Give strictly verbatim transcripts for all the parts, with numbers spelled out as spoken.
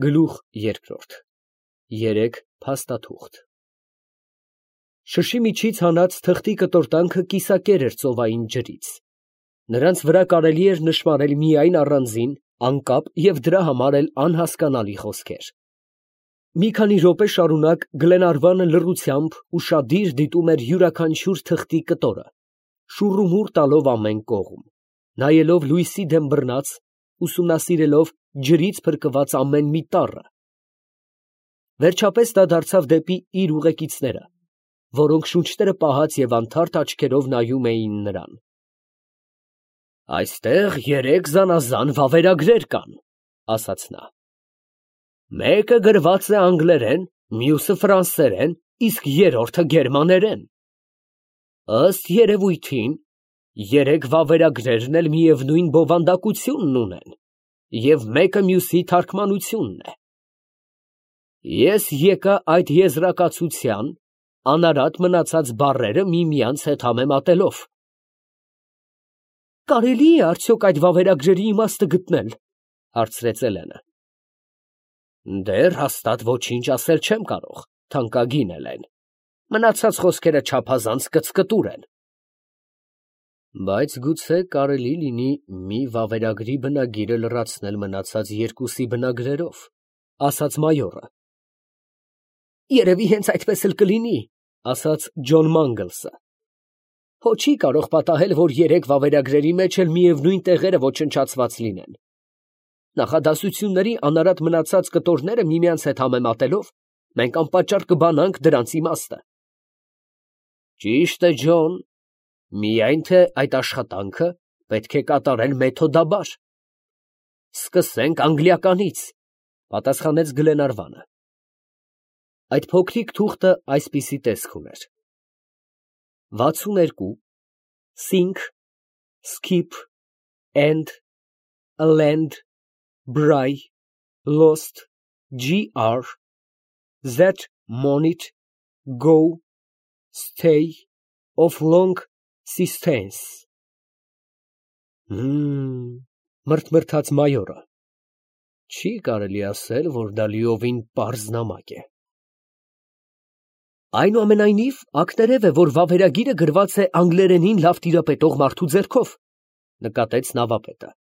Գլուխ երկրորդ երեք փաստաթուղթ Շշի միջից հանած թղթի կտորտանքը կիսակեր էր ծովային ջրից, նրանց վրա կարելի էր նշմարել միայն առանձին, անկապ և դրա համար էլ անհասկանալի խոսքեր։ Մի քանի րոպե շարունակ Գլենարվանը լռությամբ ուշադիր դիտում էր յուրաքանչյուր թղթի կտորը, շուռումուռ տալով ամեն կողմ, նայելով լույսի դեմ բռնած, ուսումնասիրելով ջրից փրկված ամեն մի տառը։ Վերջապես նա դարձավ դեպի իր ուղեկիցները, որոնք շունչները պահած և անթարթ աչքերով նայում էին նրան։ «Այստեղ երեք զանազան վավերագրեր կան, ֊ ասաց նա. ֊ մեկը գրված է անգլերեն, մյուսը ֆրանսերեն, իսկ երրորդը գերմաներեն։ Ըստ երևույթին, երեք վավերագրերն էլ միևնույն բովանդակությունն ունեն, և մեկը մյուսի թարգմանությունն է։ Ես եկա այդ եզրակացության, անարատ մնացած բառերը միմյանց հետ համեմատելով։ ֊ Կարելի է արդյոք այդ վավերագրերի իմաստը գտնել, ֊ հարցրեց Էլենը։ ֊ Դեռ հաստատ ոչինչ ասել չեմ կարող, թանկագին Էլեն, մնացած խոսքերը չափազանց կծկտուր են։ ֊ Բայց գուցե կարելի լինի մի վավերագրի բնագիրը լրացնել մնացած երկուսի բնագրերով, ֊ ասաց մայորը։ ֊ Երևի հենց այդպես էլ կլինի, ֊ ասաց Ջոն Մանգլսը։ Հո չի կարող պատահել, որ երեք վավերագրերի մեջ էլ միևնույն տեղերը ոչնչացված լինեն։ Նախադասությունների անարատ մնացած կտորները միմյանց հետ համեմատելով, մենք անպատճառ կբանանք դրանց իմաստը։ ֊ Ճիշտ է, Ջոն, միայն թե այդ աշխատանքը պետք է կատարել մեթոդաբար։ ֊ Սկսենք անգլիականից, ֊ պատասխանեց Գլենարվանը։ Այդ փոքրիկ թուղթը այսպիսի տեսք ուներ. վաթսուն երկու sink, skip, end, land, bry, lost, gr, that money, go, stay, of long sistance։ Հմ, մրթմրթաց մայորը, չի կարելի ասել, որ դա լիովին պարզ նամակ է։ Այնուամենայնիվ, ակներև է, որ վավերագիրը գրված է անգլերենին լավ տիրապետող մարդու ձեռքով, ֊ նկատեց նավապետը։ ֊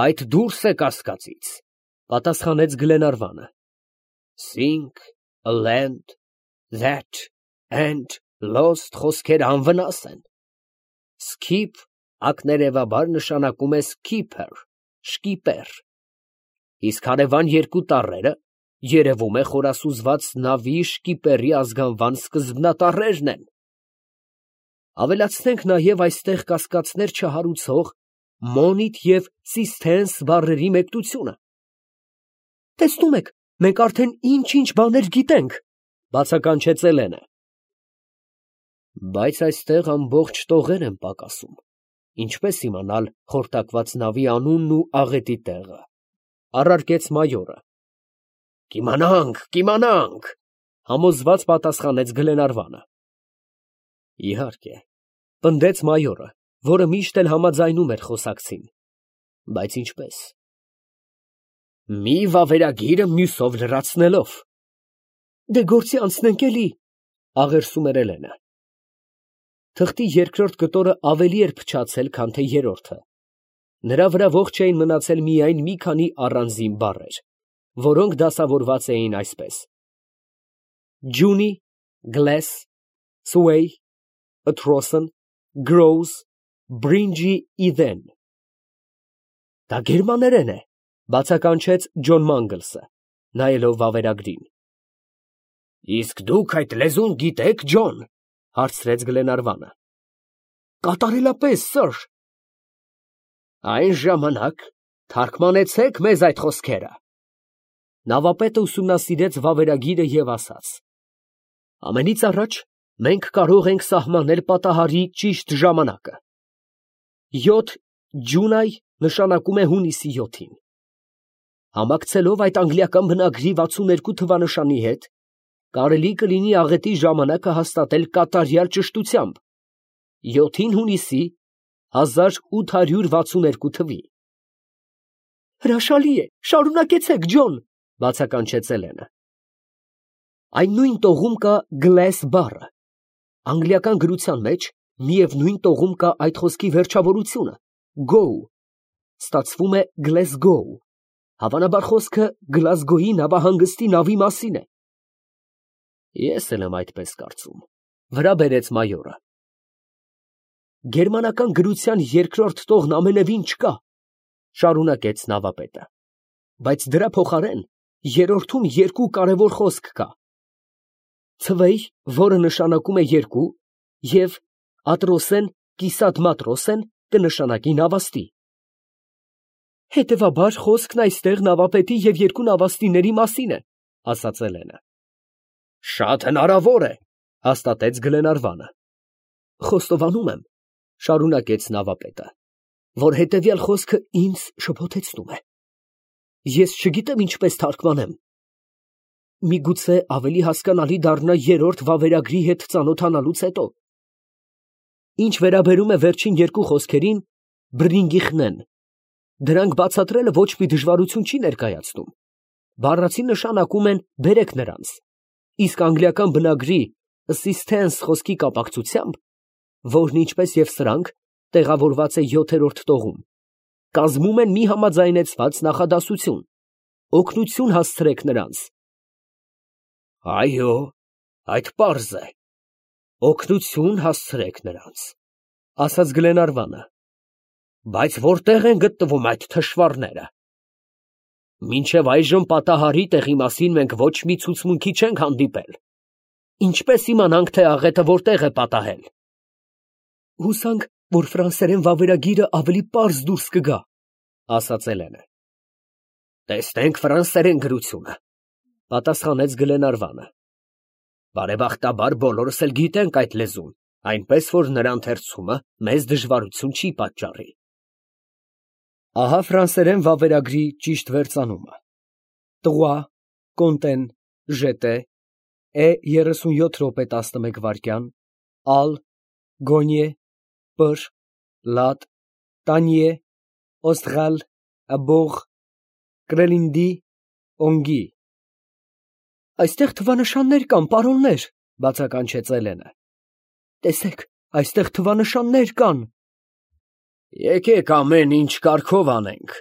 Այդ դուրս է կասկածից, ֊ պատասխանեց Գլենարվանը։ Sink, land, that, and, lost խոսքերը անվնաս են։ Skip ակներևաբար նշանակում է skipper, շկիպեր, իսկ հարևան երկու տառերը, երևում է, խորասուզված նավի շկիպերի ազգանվան սկզբնատառերն են։ Ավելացնենք նաև այստեղ կասկածներ չհարուցող money և sistance բառերի մեկնությունը։ Տեսնում եք, մենք արդեն ինչ֊ինչ բաներ գիտենք, ֊ բացականչեց Էլենը։ Բայց այստեղ ամբողջ տողեր են պակասում, ինչպես իմանալ խորտակված նավի անունն ու աղետի տեղը, ֊ առարկեց մայորը։ Կիմանանք, կիմանանք, ֊ համոզված պատասխանեց Գլենարվանը։ Իհարկե, ֊ պնդեց մայորը, որը միշտ էլ համաձայնում էր խոսակցին, բայց ինչպես։ Մի վավերագիրը մյուսով լրացնելով։ Դե գործի անցնենք էլի, ֊ աղերսում էր Էլենը։ Թղթի երկրորդ կտորը ավելի էր փչացել, քան թե երրորդը։ Նրա վրա ողջ էին մնացել միայն մի քանի առանձին բառեր, որոնք դասավորված էին այսպես. Juny, glass, sway, atrocen, grows, bringy eden։ Դա գերմաներեն է, ֊ բացականչեց Ջոն Մանգլսը, նայելով վավերագրին։ Իսկ դուք այդ լեզուն գիտեք, Ջոն, ֊ հարցրեց Գլենարվանը։ Կատարելապես, սըր։ Այն ժամանակ թարգմանեցեք մեզ այդ խոսքերը։ Նավապետը ուսումնասիրեց վավերագիրը և ասաց. Ամենից առաջ մենք կարող ենք սահմանել պատահարի ճիշտ ժամանակը։ Յոթ ջունայ նշանակում է հունիսի յոթին։ Համակցելով այդ անգլիական բնագրի վաթսուն երկու թվանշանի հետ, կարելի կլինի աղետի ժամանակը հաստատել կատարյալ ճշտությամբ, յոթին հունիսի հազար ութ հարյուր վաթսուն երկու թվի։ Հրաշալի է, շարունակեցեք, Ջոն, բացականչեց Էլենը։ Այն նույն տողում կա glass բառը։ Անգլիական գրության մեջ միևնույն տողում կա այդ խոսքի վերջավորությունը go, ստացվում է Glasgow, հավանաբար խոսքը Գլազգոյի նավահանգստի նավի մասին է։ Ես էլ եմ այդպես կարծում, վրա բերեց մայորը։ Գերմանական գրության երկրորդ տողն ամենևին չկա, շարունակեց նավապետը, բայց դրա փոխարեն երրորդում երկու կարևոր խոսք կա. ցվեյ, որը նշանակում է երկու, և ատրոսեն, կիսատ մատրոսեն կնշանակի նավաստի։ Հետևաբար խոսքն այստեղ նավապետի և երկու նավաստիների մասին է, ասաց Էլենը։ Շատ հնարավոր է, հաստատեց Գլենարվանը։ Խոստովանում եմ, շարունակեց նավապետը, որ հետևյալ խոսքը ինձ շփոթեցնում է։ Ես չգիտեմ ինչպես թարգմանեմ։ Միգուցե ավելի հասկանալի դառնա երրորդ վավերագրի հետ ծանոթանալուց հետո։ Ինչ վերաբերում է վերջին երկու խոսքերին, բրինգիխնեն, դրանք բացատրելը ոչ մի դժվարություն չի ներկայացնում։ Բառացի նշանակում են բերեք նրանց, իսկ անգլիական բնագրի assistance խոսքի կապակցությամբ, որն ինչպես և սրանք տեղավորված է յոթերորդ տողում, կազմում են մի համաձայնեցված նախադասություն. օգնություն հասցրեք նրանց։ Այո, այդ պարզ է, օգնություն հասցրեք նրանց, ասաց Գլենարվանը, բայց որտեղ են գտնվում այդ թշվառները։ Մինչև այժմ պատահարի տեղի մասին մենք ոչ մի ցուցմունքի չենք հանդիպել։ Ինչպես իմանանք, թե աղետը որտեղ է պատահել։ Հուսանք, որ ֆրանսերեն վավերագիրը ավելի պարզ դուրս կգա, ասաց Էլենը։ Տեսնենք ֆրանսերեն գրությունը, պատասխանեց Գլենարվանը։ Բարեբախտաբար բոլորս էլ գիտենք այդ լեզուն, այնպես որ նրա ընթերցումը մեզ դժվարություն չի պատճառի։ Ահա ֆրանսերեն վավերագրի ճիշտ վերծանումը։ Trois, Conten, Jeté, E thirty-seven րոպե տասնմեկ վայրկյան, Al, Gogné, Pr, Lat, Tanier, Austral, Abor, Crelindi, Ongi։ Այստեղ թվանշաններ կան, պարոններ, բացականչեց Էլենը։ Տեսեք, այստեղ թվանշաններ կան։ Եկեք ամեն ինչ կարգով անենք,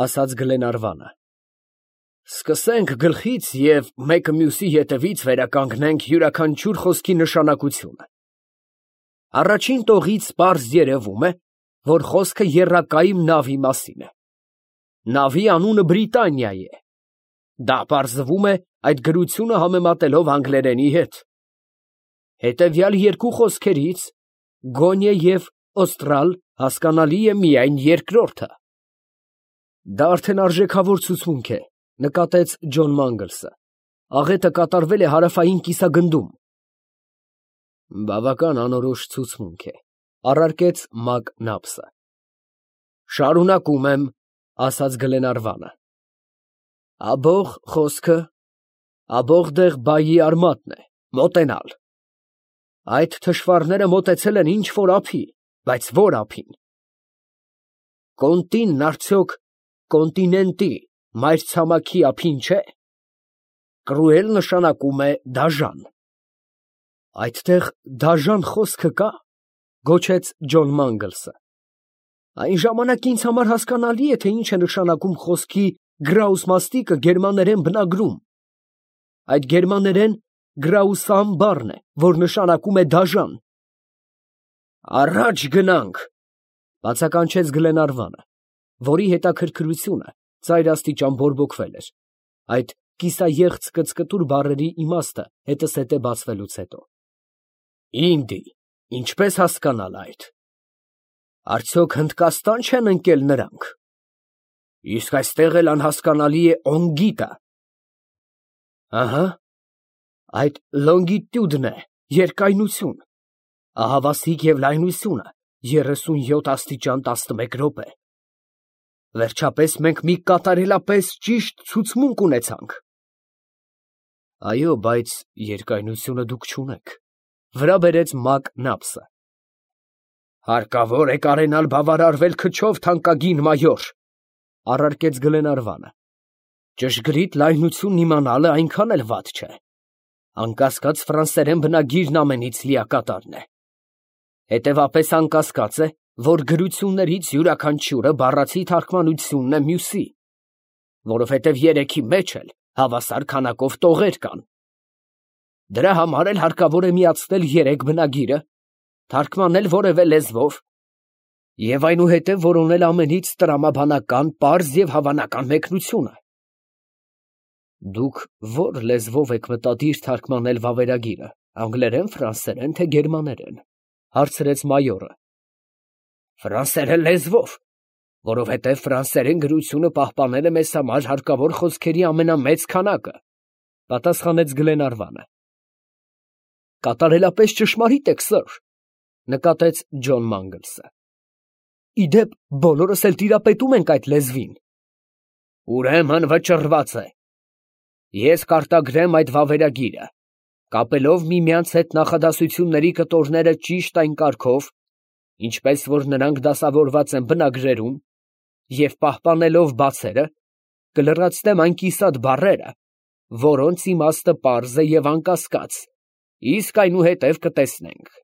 ասաց Գլենարվանը։ Սկսենք գլխից և մեկը մյուսի ետևից վերականգնենք յուրաքանչյուր խոսքի նշանակությունը։ Առաջին տողից պարզ երևում է, որ խոսքը եռակայմ նավի մասին է։ Նավի անունը Բրիտանիա է։ Դա պարզվում է այդ գրությունը համեմատելով անգլերենի հետ։ Հետևյալ երկու խոսքերից Գոնե և Օստրալ հասկանալի է միայն երկրորդը։ Դա արդեն արժեքավոր ցուցմունք է, նկատեց Ջոն Մանգլսը։ Աղետը կատարվել է հարավային կիսագնդում։ Բավական անորոշ ցուցմունք է, առարկեց Մակնապսը։ Շարունակում եմ, ասաց Գլենարվանը։ Աբող խոսքը, աբողդեղ բայի արմատն է, մոտենալ։ Այդ թշվառները մոտեցել են ինչ-որ ափի, բայց որ ափին։ Կոնտինն արդյոք կոնտինենտի, մայրցամաքի ափին չէ։ Կռուել նշանակում է դաժան։ Այդտեղ դաժան խոսքը կա, գոչեց Ջոն Մանգլսը։ Այն ժամանակ ինձ համար հասկանալի է, թե ինչ է նշանակում խոսքի գրաուս մաստիկը գերմաներեն բնագրում։ Այդ գերմաներեն գրաուսամ բառն է, որ նշանակում է դաժան։ Առաջ գնանք, բացականչեց Գլենարվանը, որի հետաքրքրությունը ծայրաստիճան բորբոքվել էր, այդ կիսաեղծ կծկտուր բառերի իմաստը հետզհետե բացվելուց հետո։ Ինդի, ինչպես հասկանալ այդ։ Արդյոք Հնդկաստան չեն ընկել նրանք։ Իսկ այստեղ էլ անհասկանալի է օնգիտը։ Ահա, այդ լոնգիտյուդն է, երկայնություն, ահավասիկ և լայնությունը երեսունյոթ աստիճան տասնմեկ րոպե։ Վերջապես մենք մի կատարելապես ճիշտ ցուցմունք ունեցանք։ Այո, բայց երկայնությունը դուք չունեք, վրա բերեց Մակնապսը։ Հարկավոր է կարենալ բավարարվել քչով, թանկագին մայոր, Առարկեց Գլենարվանը։ Ճշգրիտ լայնությունն իմանալը այնքան էլ վատ չէ։ Անկասկած ֆրանսերեն բնագիրն ամենից լիակատարն է։ Հետևապես անկասկած է, որ գրություններից յուրաքանչյուրը բառացի թարգմանությունն է մյուսի, որովհետև երեքի մեջ էլ հավասար քանակով տողեր կան։ Դրա համար էլ հարկավոր է միացնել երեք բնագիրը, թարգմանել որևէ լեզվով և այնուհետև որոնել ամենից տրամաբանական, պարզ և հավանական մեկնությունը։ Դուք ո՞ր լեզվով եք մտադիր թարգմանել վավերագիրը, անգլերեն, ֆրանսերեն, թե գերմաներեն, ֊ հարցրեց մայորը։ Ֆրանսերեն լեզվով, որովհետև ֆրանսերեն գրությունը պահպանել է մեզ համար հարկավոր խոսքերի ամենամեծ քանակը, ֊ պատասխանեց Գլենարվանը։ Կատարելապես ճշմարիտ եք, սըր, ֊ նկատեց Ջոն Մանգլսը։ Ի դեպ, բոլորս էլ տիրապետում ենք այդ լեզվին։ Ուրեմն վճռված է։ Ես կարտագրեմ այդ վավերագիրը, կապելով միմյանց հետ նախադասությունների կտորները ճիշտ այն կարգով, ինչպես որ նրանք դասավորված են բնագրերում, և պահպանելով բացերը, կլրացնեմ այն կիսատ բառերը, որոնց իմաստը պարզ է և անկասկած, իսկ այնուհետև կտեսնենք։